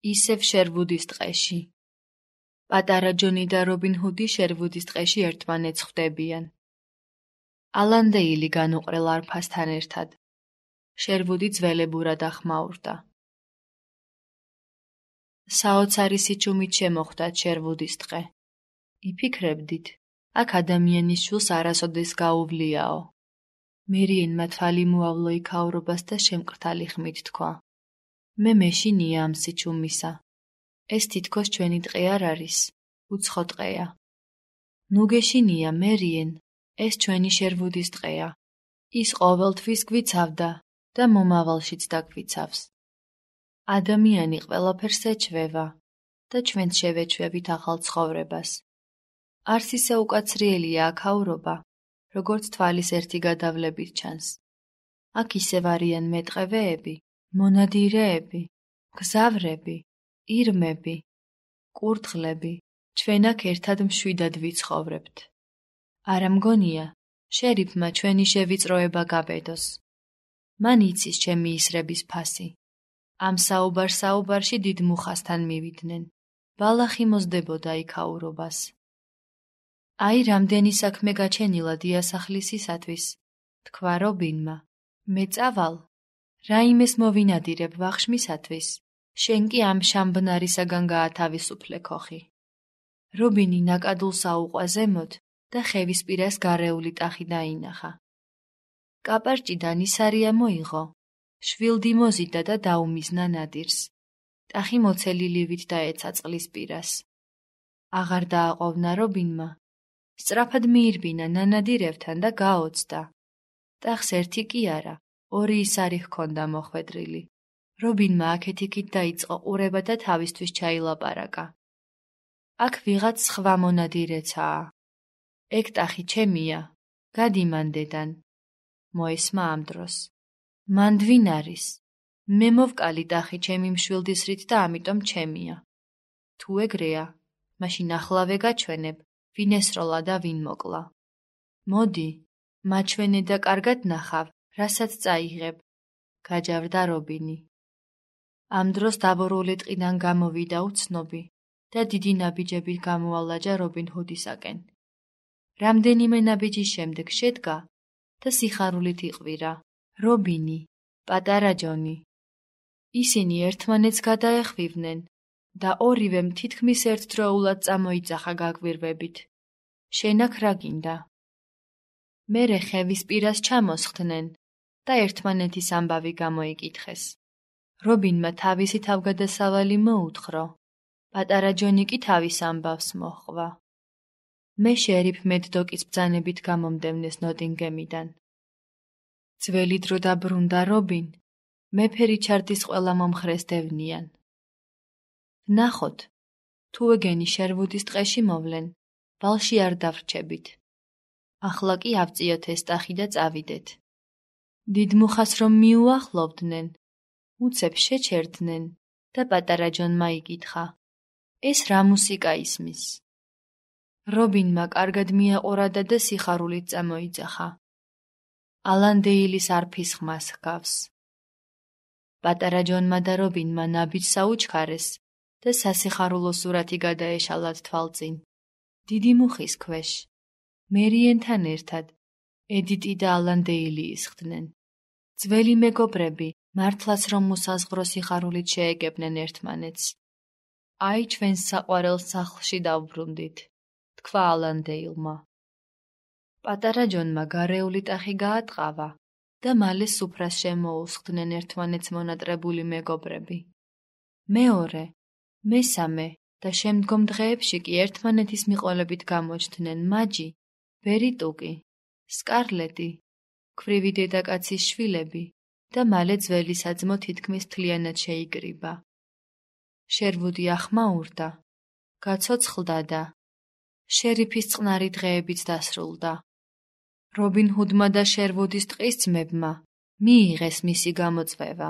ისევ შერვუდის ტყეში. პატარა ჯონი და რობინ ჰუდი შერვუდის ტყეში ერთმანეთს ხვდებიან. ალანდეილი განუყრელ არფასთან ერთად. შერვუდი ძველებურად ახმაურდა. საოცარი სიჩუმით შემოხვდათ შერვუდის ტყე. იფიქრებდით, აქ ადამიანის შვილს არასოდეს გაუვლიაო. მერიენმა თვალი მოავლო იქაურობას და შემკრთალი ხმით თქვა: მე მეშინია ამ სიჩუმისა. ეს თითქოს ჩვენი ტყე არ არის, უცხო ტყეა. ნუ გეშინია, მერიენ, ეს ჩვენი შერვუდის ტყეა. ის ყოველთვის გვიცავდა და მომავალშიც დაგვიცავს. ადამიანი ყველაფერს ეჩვევა და ჩვენც შევეჩვევით ახალ ცხოვრებას. არც ისე უკაცრიელია აქაურობა, როგორც თვალის ერთი გადავლებით ჩანს. აქ ისევ არიან მეტყევეები, მონადირეები, გზავრები, ირმები, კურდღლები, ჩვენ აქ ერთად მშვიდად ვიცხოვრებთ. არა მგონია, შერიფმა ჩვენი შევიწროება გაბედოს. მან იცის ჩემი ისრების ფასი. ამ საუბარში დიდ მუხასთან მივიდნენ. ბალახი მოსდებოდა იქაურობას. აი, რამდენი საქმე გაჩენილა დიასახლისისათვის, თქვა რობინმა. მე წავალ, რაიმეს მოვინადირებ ვახშმისათვის, შენ კი ამ შამბნარისაგან გაათავისუფლე ქოხი. რობინი ნაკადულს აუყვა ზემოთ და ხევისპირას გარეული ტახი დაინახა. კაპარჭიდან ისარია მოიღო, შვილდი მოზიდა და დაუმიზნა ნადირს. ტახი მოცელი ლივით დაეცა წყლის პირას. აღარ დააყოვნა რობინმა. სწრაფად მიირბინა ნანადირევთან და გაოცდა. ტახს ერთი კი არა, ორი ისარი ჰქონდა მოხვედრილი. რობინმა აქეთ-იქით დაიწყო ყურება და თავისთვის ჩაილაპარაკა. აქ ვიღაც სხვა მონადირეცაა. ეგ ტახი ჩემია, გადი მანდედან. მოესმა ამ დროს. მანდვინ არის. მე მოვკალი ტახი ჩემი მშვილდისრით და ამიტომ ჩემია. თუ ეგრეა, მაშინ ახლავე გაჩვენებ, ვინ ესროლა და ვინ მოკლა. მოდი, მაჩვენე და კარგად ნახავ, რასაც წაიღებ, გაჯავრდა რობინი. ამ დროს დაბურული ტყიდან გამოვიდა უცნობი და დიდი ნაბიჯებით გამოალაჯა რობინ ჰუდისაკენ. რამდენიმე ნაბიჯის შემდეგ შედგა და სიხარულით იყვირა: რობინი, პატარა ჯონი. ისინი ერთმანეთს გადაეხვივნენ და ორივემ თითქმის ერთდროულად წამოიძახა გაგვირვებით. შენ აქ რა გინდა? მერე ხევისპირას ჩამოსხდნენ და ერთმანეთის ამბავი გამოიკითხეს. რობინმა თავისი თავგადასავალი მოუთხრო, პატარა ჯონი კი თავის ამბავს მოჰყვა. მე შერიფ მედდოკის ბრძანებით გამომდევნეს ნოტინგემიდან. ძველი დრო დაბრუნდა რობინ, მეფე რიჩარდის ყველა მომხრეს დევნიან. ვნახოთ, თუ ეგენი შერვუდის ტყეში მოვლენ, ვალში არ დავრჩებით. ახლა კი ავწიოთ ეს ტახი და წავიდეთ. დიდ მუხას რომ მიუახლოვდნენ, უცებ შეჩერდნენ და პატარა ჯონმა იკითხა: ეს რა მუსიკა ისმის? რობინმა კარგად მიაყურადა და სიხარულით წამოიძახა: ალანდეილის არფის ხმას ჰგავს. პატარა ჯონმა და რობინმა ნაბიჯს აუჩქარეს და სასიხარულო სურათი გადაეშალათ თვალწინ. დიდი მუხის ქვეშ, მერიენთან ერთად, ედიტი და ალანდეილი ისხდნენ. ძველი მეგობრები, მართლაც რომ უსაზღვრო სიხარულით შეეგებნენ ერთმანეთს. აი, ჩვენს საყვარელ სახლში დავბრუნდით, თქვა ალანდეილმა. პატარა ჯონმა გარეული ტახი გაატყავა და მალე სუფრას შემოუსხდნენ ერთმანეთს მონატრებული მეგობრები. მეორე, მესამე და შემდგომ დღეებში კი ერთმანეთის მიყოლებით გამოჩნდნენ მაჯი, ბერიტუკი, სკარლეტი, ქვრივი დედაკაცის შვილები და მალე ძველი საძმო თითქმის მთლიანად შეიკრიბა. შერვუდი ახმაურდა, გაცოცხლდა და შერიფის წყნარი დღეებიც დასრულდა. რობინ ჰუდმა და შერვუდის ტყის ძმებმა მიიღეს მისი გამოწვევა.